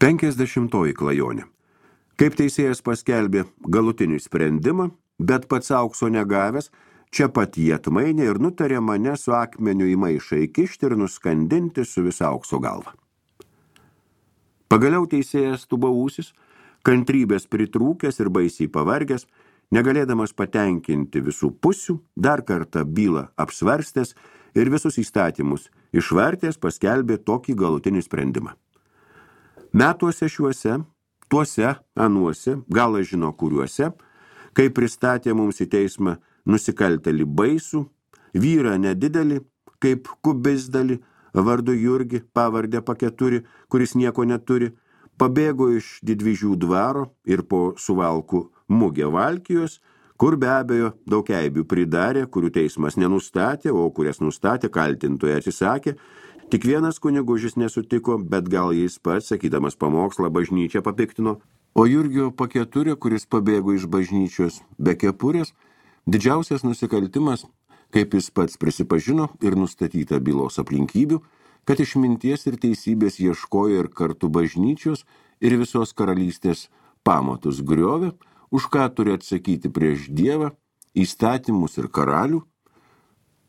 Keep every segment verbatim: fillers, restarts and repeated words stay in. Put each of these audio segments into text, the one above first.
Penkiasdešimtoji klajonė. Kaip teisėjas paskelbė galutinį sprendimą, bet pats aukso negavęs, čia pat jį atmainė ir nutarė mane su akmeniu į maišą įkišti ir nuskandinti su visa aukso galva. Pagaliau teisėjas tubausis, kantrybės pritrūkęs ir baisiai pavargęs, negalėdamas patenkinti visų pusių, dar kartą bylą apsvarstęs ir visus įstatymus išvartęs paskelbė tokį galutinį sprendimą. Metuose šiuose, tuose, anuose, gal aš žino kuriuose, kai pristatė mums į teismą nusikaltelį baisų, vyrą nedidelį, kaip kubizdalį, vardu Jurgi, pavardę Paketuri, kuris nieko neturi, pabėgo iš Didvyžių dvaro ir po Suvalkų mugę Valkijos, kur be abejo daug eibių pridarė, kurių teismas nenustatė, o kurias nustatė kaltintojai atsisakė. Tik vienas kunigužis nesutiko, bet gal jis pats, sakydamas pamokslą, bažnyčią papiktino, o Jurgio Paketurė, kuris pabėgo iš bažnyčios be kepurės, didžiausias nusikaltimas, kaip jis pats prisipažino ir nustatyta bylos aplinkybių, kad išminties ir teisybės ieškojo ir kartu bažnyčios ir visos karalystės pamatus griovė, už ką turi atsakyti prieš Dievą, įstatymus ir karalių.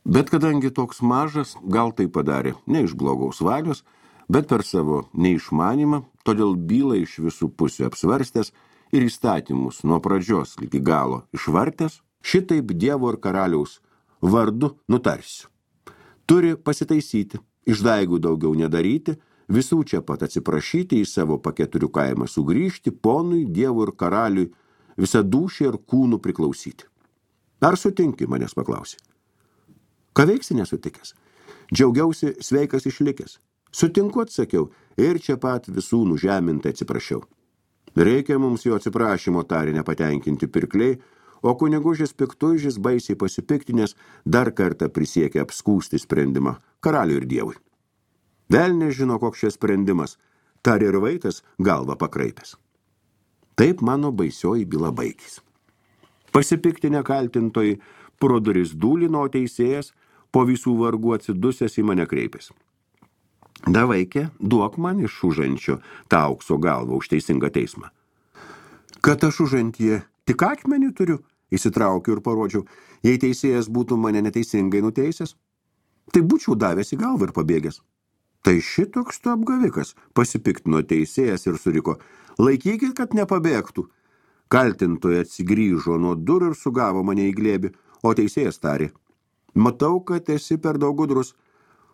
Bet kadangi toks mažas, gal tai padarė ne iš blogaus valios, bet per savo neišmanymą, todėl bylą iš visų pusių apsvarstęs ir įstatymus nuo pradžios iki galo išvartęs, šitaip Dievo ir karaliaus vardu nutarsiu. Turi pasitaisyti, išdaigų daugiau nedaryti, visų čia pat atsiprašyti, į savo Paketurių kaimą sugrįžti, ponui, Dievui ir karaliui visą dūšį ir kūnų priklausyti. Ar sutinki, manęs paklausė. Ką veiksi nesutikęs? Džiaugiausi sveikas išlikęs. Sutinku, atsakiau, ir čia pat visų nužemintai atsiprašiau. Reikia mums jo atsiprašymo, tarė nepatenkinti pirkliai, o kunigužis piktuižis baisiai pasipiktinės dar kartą prisiekė apskūsti sprendimą karaliui ir Dievui. Velnias žino, koks šis sprendimas, tarė ir vaikas galvą pakraipęs. Taip mano baisioji byla baigės. Pasipiktinę kaltintojai pro duris dūlino, o teisėjas po visų vargų atsidusęs į mane kreipės. Da vaikė, duok man iš užančio tą aukso galvą už teisingą teismą. Kad aš užantyje tik akmenį turiu, įsitraukiu ir parodžiau, jei teisėjas būtų mane neteisingai nuteisęs, tai būčiau davęs į galvą ir pabėgęs. Tai šitoks tu apgavikas, pasipiktino teisėjas ir suriko, laikykit, kad nepabėgtų. Kaltintojai atsigrįžo nuo durų ir sugavo mane į glėbį, o teisėjas tarė, matau, kad esi per daug gudrus,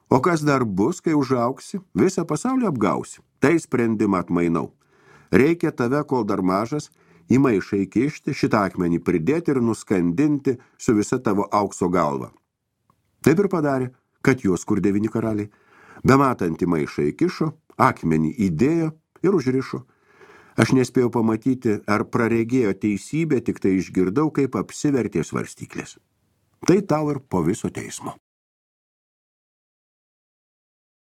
o kas dar bus, kai užauksi, visą pasaulį apgausi, tai sprendimą atmainau. Reikia tave, kol dar mažas, į maišą įkišti, šitą akmenį pridėti ir nuskandinti su visa tavo aukso galva. Taip ir padarė, kad juos kur devyni karaliai. Bematant į maišą įkišo, akmenį įdėjo ir užrišo. Aš nespėjau pamatyti, ar praregėjo teisybę, tik tai išgirdau, kaip apsivertė svarstyklės. Tai tau ir po viso teismo.